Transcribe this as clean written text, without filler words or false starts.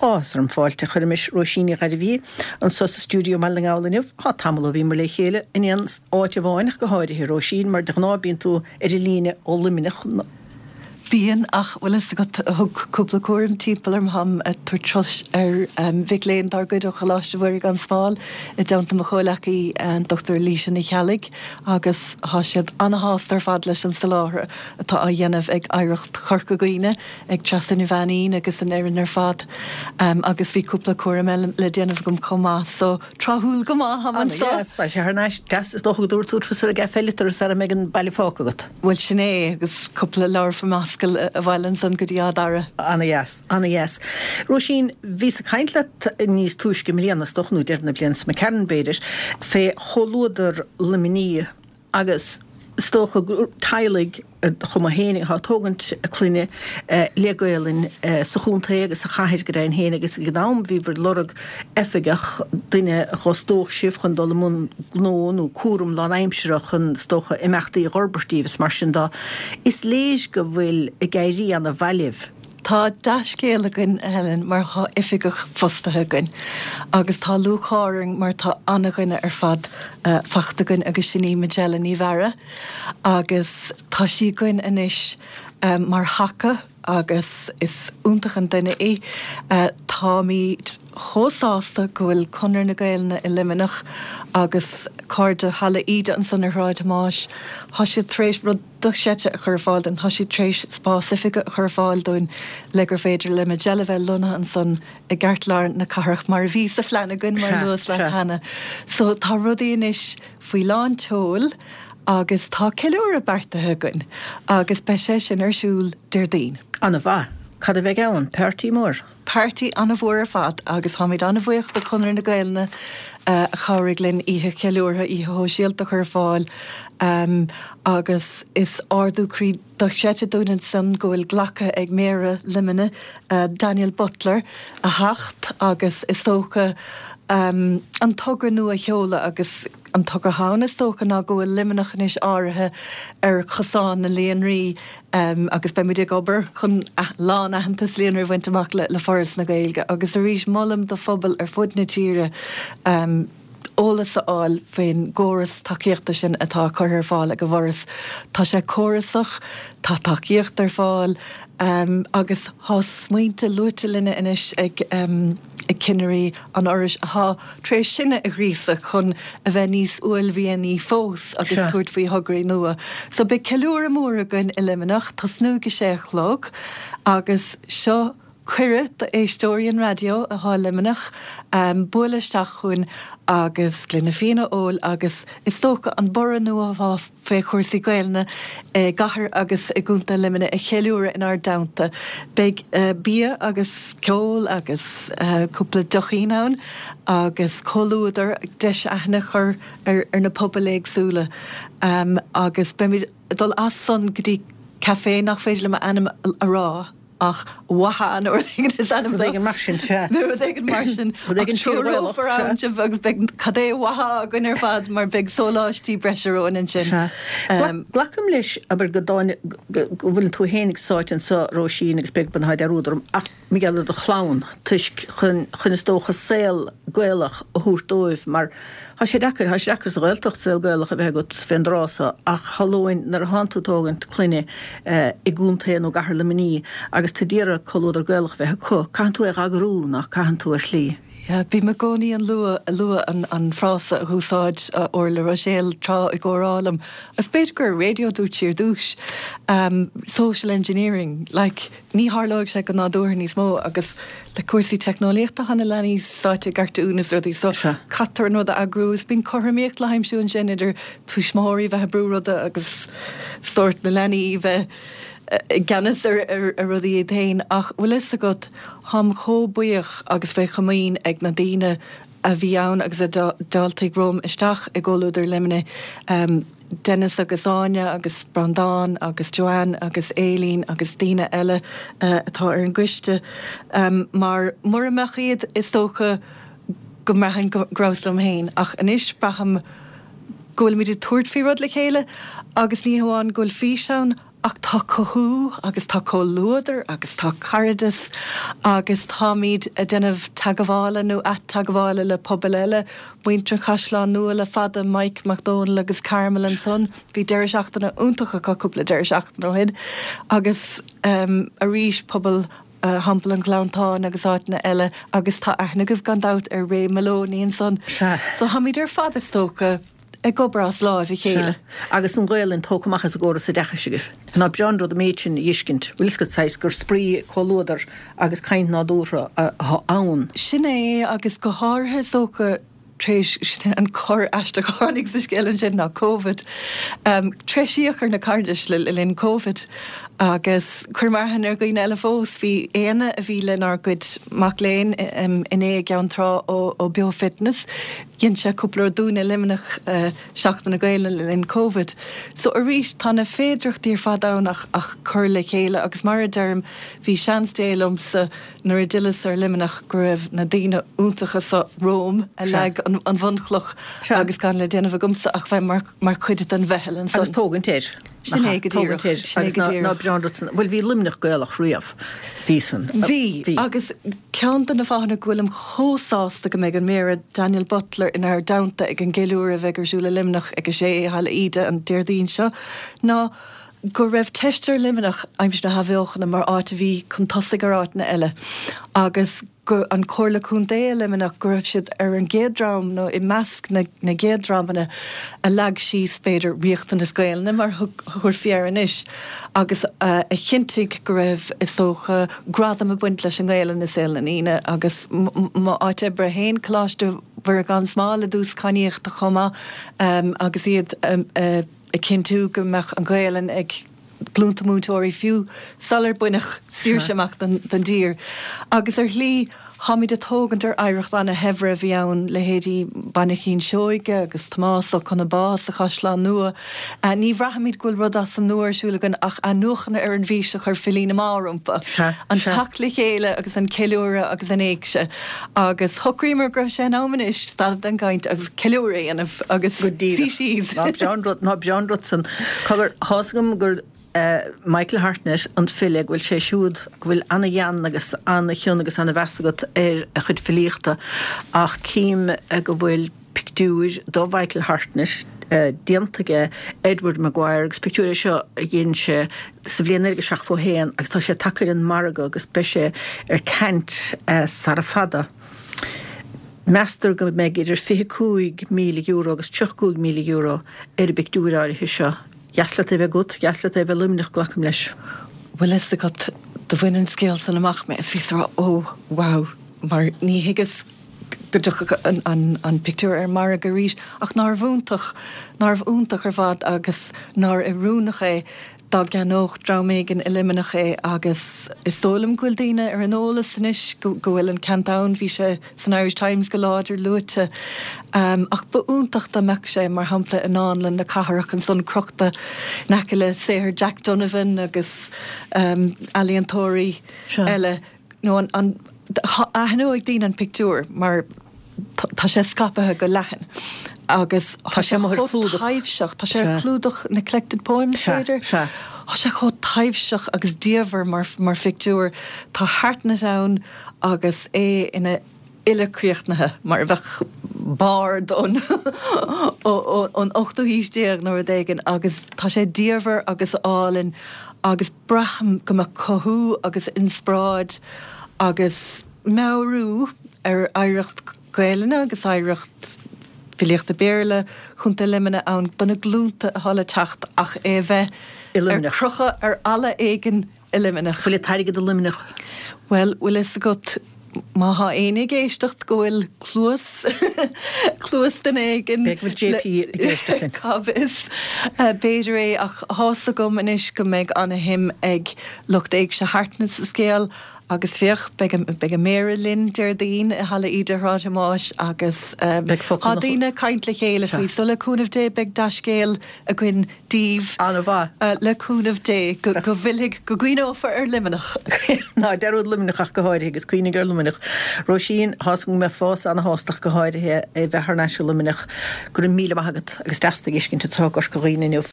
Áthas orm fáilte a chur roimis Róisín Ní Ghairbhí anso sa stiúideo i mBaile na nGall inniu. Tá tamall ó bhíomar le chéile in aon áit amháin ach go háirithe, Róisín, mar de ghnáth bíonn tú ar an líne ó Luimneach. Bíonn, ach bhfuil fhios agat, thug cúpla cúram timpeall orm, tháim ag tabhairt turais ar mhic léinn dár gcuid ó Choláiste Mhuire gan Smál i dteannta mo chomhleacaí, an Dr Laoise Ní Cheallaigh, agus tá siad ana-shásta ar fad leis an soláthar atá á dhéanamh ag Oidhreacht Chorca Dhuibhne, ag Treasa Ní Mhainín agus an fhoireann ar fad. Agus bhí cúpla cúram eile le déanamh agam chomh maith, so. Tráthúil go maith, tháim anso. Ana dheas, tá sé thar n-ais. Deas, is dócha go dtabharfaidh tú turas ar an gcaife eile turas sara mbeidh an baile fágtha agat. Bhuel, sin é, agus cúpla leabhar fá m'ascaill abhaile ansan go dtí Áth Dara. Ana dheas, ana dheas. Róisín, bhíos ag caint leat níos túisce i mbliana, is dócha, nó deireadh na bliana seo imigh tharainn, b'fhéidir, fé Chomhluadar Luimnigh agus is dócha gur teaghlaigh ar chuma féin atá ag tógaint a clainne le Gaelainn sa chontae agus sa chathair go deimhin féin agus ag an am bhíobhair ag lorg oifigeach, duine a dh'fhostódh sibh chun dul i mbun gnó nó cúram lánaimseartha chun is dócha imeachtaí a dh'fhorbairt daoibh is mar sin de. Is léir go bhfuil ag éirí ana mhaith libh. Tá dea-scéal againn, a Helen, mar tá oifigeach fostaithe againn agus tá lúcháir orainn mar tá ana-dhuine ar fad fachta againn agus sin í Majella Ní Mheara agus tá sí againn anois mar thaca agus is iontach an duine í. Táimid chomh sásta go bhfuil Conradh na Gaelainne i Luimneach agus cairde Halla Íde ansan ar Shráid Thomáis, tá siad tar éis rud dochreidte a chur ar fáil dúinn. Tá siad tar éis spás oifige a chur ar fáil dúinn le gur féidir le Majella bheith lonnaithe ansan i gceartlár na cathrach mar a bhí sa phlean againn, mar a luas leat cheana. So tá rudaí anois faoi lán tseoil agus tá ceiliúradh beartaithe againn agus beidh sé sin ar siúl Déardaoin. Ana-mhaith. Cad a bheidh ann? Páirtí mór? Páirtí an-mhór ar fad agus táimid an-bhuíoch do Chonradh na Gaelainne a chabhraigh linn oíche cheiliúrtha, oíche shóisialta a chur ar fáil agus is ardú croí dochreidte dúinn ansan go bhfuil glactha ag Méara Luimnigh, Daniel Butler, a theacht agus is dócha an togra nua a sheoladh agus an togra ann is dócha ná go bhfuil Luimneach anois áirithe ar chosán na líonraí agus beidh muid ag obair chun lán-aitheantas líonraí a bhaint amach le Foras na Gaeilge agus arís molaim do phobail ar fud na tíre eolas a fháil faoin gcóras tacaíochta sin atá curtha ar fáil ag an bhForas. Tá sé córasach, tá tacaíocht ar fáil agus tá smaointe luaite linne anois ag cinnirí an Fhorais atá tar éis sinne a ghríosadh chun a bheith níos uaillmhianaí fós agus tabhairt faoi thograí nua. So beidh ceiliúradh mór againn i Luimneach, tosnú ag a sé a chlog agus seo cuireadh do éisteoirí an raidió atá i Luimneach bualadh isteach chugainn agus gloine fíona a ól agus is dócha an borradh nua atá fé chúrsaí Gaelainne i gcathair agus i gContae Luimnigh a cheiliúradh inár dteannta. Beidh bia agus ceol agus cúpla deochín ann agus comhluadar, deis aithne a chur ar na pobail éagsúla agus beimid ag dul as san go dtí café nach féidir liom a ainm a rá. Ach Waha nó rud éigin is ainm dó. Rud éigin mar sin, sea. Nó rud éigin mar sin. Rud éigin fíor-Ghaelach, sea. Sibh agus beidh cad é Waha againn ar fad mar beidh sóláistí breise romhainn ansin. Sea. Glacaim leis, abair, go dtáinig, go bhfuileann tú fhéinig sáite anso, Róisín, agus beag beann thá dearúd orm, ach mar gheall ar do chlann, toisc chun, chun is dócha saol Gaelach a thabhairt dóibh mar Thá sé deacair, thá sé deacair sa Ghaeltacht saol Gaelach a bheith agat fén dtráth so ach shamhlóinn nuair a thánn tú ag tógaint clainne i gcontae nó gcathair Luimnigh agus tú d'iarraidh comhluadar Gaelach a bheith acu, caitheann tú é dh'eagrú, nach caitheann tú ar shlí? Yeah, bím i gcónaí ag lua, lua an, an frása a dh'úsáid Orla Ruiséal tráth i gcomhrá liom, agus b'fhéidir gur ar raidió dúirt sí ar dtúis, social engineering, like, Ní tharlóidh sé go nádúrtha níos mó agus le cúrsaí teicneolaíochta tá na leanaí sáite i gcartúin is rudaí so caithfear an rud a eagrú is bíonn cothromaíocht le haimsiú ansin idir tuismitheoirí bheith ag brú ruda agus sórt na leanaí bheith i gceannas ar rudaí iad féin ach bhfuil fhios agat táim chomh buíoch agus faoi chomaoin ag na daoine a bhí ann agus a d'fháiltigh romham isteach i gComhluadar Luimnigh. Denis agus Áine agus Breandán agus Joanne agus Aileen agus daoine eile atá ar an gcoiste mar mura mbeadh iad is dócha go mbraithfinn go rabhas liom féin ach anois braithim go bhfuilimid ag tabhairt faoi rud le chéile agus ní hamháin go bhfuil fís ann. Ach tá cothú agus tá comhluadar agus tá cairdeas agus táimid ag déanamh teagmhála nó ateagmhála le pobail eile, muintir Chaisleán Nua le fada, Mike Mac Dónaill agus Carmel ansan. Bhí deireadh seachtaine iontach acu cúpla deireadh seachtaine ó shin agus arís pobal Theampall an Ghleanntáin agus áiteanna eile agus tá aithne agaibh gan dabht ar Ray Moloney ansan. Sea. So táimid ar fad is dócha ag obair as láimh a chéile. Sea. Agus an Ghaelainn tógtha amach as an gcóras oideachais agaibh. Ná breá an rud an méid sin a fheiscint. Bhfuil fhios agat saghas gur spraoi, comhluadar agus caint nádúrtha atá ann. Sin é agus go háirithe is dócha tar éis, sin é an cor aisteach a tháinig sa scéal ansin ná Covid. Treisíodh ar na cairdis le linn Covid agus chuir mé aithne ar dhaoine eile fós. Bhí Éanna a bhí lenár gcuid mac léinn inné i gCeann Trá ó Beo Fitness, dhein sé cúpla rud dúinne i Luimneach, Seachtain na Gaelainne le linn Covid. So arís tá na féidearthachtaí ar fad ann ach ach cur le chéile agus mar a deirim bhí seans Dé liomsa nuair a d'fhilleas ar Luimneach go raibh na daoine iontacha so romham a leag an bhunchloch agus gan le déanamh agamsa ach bheith mar mar chuid den mheitheal ansan. Agus tógaint air. Sin é go díreach. Tógaint air. Sin é go díreach. Ná breá an rud san. Bhuel bhí Luimneach Gaelach riamh. Bhí san. Bhí. Agus ceann de na fáthanna go bhfuilim chomh sásta go mbeidh an Méara Daniel Butler inár dteannta ag an gceiliúradh a bheidh ar siúl i Luimneach ag a sé i Halla Íde an Déardaoin seo ná go raibh teist ar Luimneach aimsir na hAthbheochana mar áit a bhí chun tosaigh ar áiteanna eile agus go an Comhairle Contae i Luimneach go raibh siad ar an gcéad dream nó i measc na na gcéad dreamanna a leag síos b'fhéidir riachtanas Gaelainne mar a thabharfaí air anois agus a chinntigh go raibh is dócha gradam ag baint leis an nGaelainn i saol na ndaoine agus m'áit oibre féin Coláiste Mhuire gan Smál i dtús cadhnaíochta chomh maith agus iad ag cinntiú go mbeadh an Ghaelainn ag glúnta múinteoirí fiú sular baineadh saoirse amach don dtír. Agus ar shlí, táimid ag tógaint ar oidhreacht ana-shaibhir a bhí ann, leithéidí Mhainchín Seoige agus Tomás Ó Conabá sa Chaisleán Nua. Ní bhraithimid go bhfuil rud as an nua ar siúl againn ach athnuachan ar an bhfís a chuir filí na mná rompu, an teacht le chéile agus an ceiliúradh agus an éigse. Agus shocraíomar go raibh sé in am anois stad den gcaint agus ceiliúradh a dhéanamh agus Go díreach. suí síos. Ná breá an rud, ná breá an rud san. Cogar, tá's agam gur Michael Hartnett, an file, go bhfuil sé siúd, go bhfuil ana-ghean agus ana-chion agus ana-mheas agat ar a chuid filíochta ach cím go bhfuil pictiúir do Mhichael Hartnett déanta aige Edward Maguire agus pictiúr é seo a dhein sé sa bhliain 1971 agus tá sé tagtha ar an margadh agus beidh sé ar ceant sara fada. Meastar go mbeidh idir €25,000 agus €35,000 ar an bpictiúr áirithe seo. Dheas leat é bheith agat, dheas leat é bheith i Luimneach, glacaim leis. Bhfuil fhios agat, do bhain an scéal san amach mé is bhíos ag rá oh wow mar ní thuigeas go dtiocfadh an pictiúr ar an margadh arís ach nárbh iontach, nárbh iontach ar fad agus nár oiriúnach é dá gceannódh dream éigin i Luimneach é agus is dóigh liom go bhfuil daoine ar an eolas anois go bhfuil an ceant ann, bhí sé san Irish Times go láidir luaite. Ach ba iontach dá mbeadh sé, mar shampla, i nDánlann na Cathrach ansan crochta in aice le saothar Jack Donovan agus ealaíontóirí eile. Nó an, an, aithneoidh daoine an pictiúr mar tá sé scaipthe go leathan agus tá sé chomh taibhseach, tá sé ar chlúdach na Collected Poems, b'fhéidir? Sea. Tá sé chomh taibhseach agus diamhair mar, mar phictiúr. Tá Hartnett ann agus é ina fhile críochnaithe, mar a bheadh bard ón ón ochtú haois déag nó rud éigin agus tá sé diamhair agus álainn agus braithim go mbeadh cothú agus inspioráid agus meabhrú ar oidhreacht Gaelainne agus oidhreacht filíochta Béarla Chontae Luimnigh ann do na glúnta atá le teacht ach é a bheith ar crochadh ar fhalla éigin i Luimneach. Bhfuil an t-airgead i Luimneach? Bhuel, bhfuil fhios agat, má thá éinne ag éisteacht go bhfuil cluas, cluas duine éigin B'fhéidir go bhfuil JP ag éisteacht linn. Cá bhfios? B'fhéidir é, ach thá's agam anois go mbeidh ana-shuim ag lucht Éigse Hartnett sa scéal agus féach, beidh an, beidh an Méara linn Déardaoin i Halla Íde Shráid Thomáis agus Beidh tá focal na. daoine ag caint le chéile Sea. faoi so le cúnamh Dé beidh dea-scéal againn daoibh. An-mhaith. Le cúnamh Dé, go bhfillfidh, go gcuimhneofar ar Luimneach. Ná dearúd Luimneach ach go háirithe, agus cuimhnigh ar Luimneach. Róisín, tá's agam go mbeifeása ana-shásta ach go háirithe a bheith thar n-ais i Luimneach. Go raibh míle maith agat agus deas tú a fheiscint anseo i gCorca Dhuibhne inniu.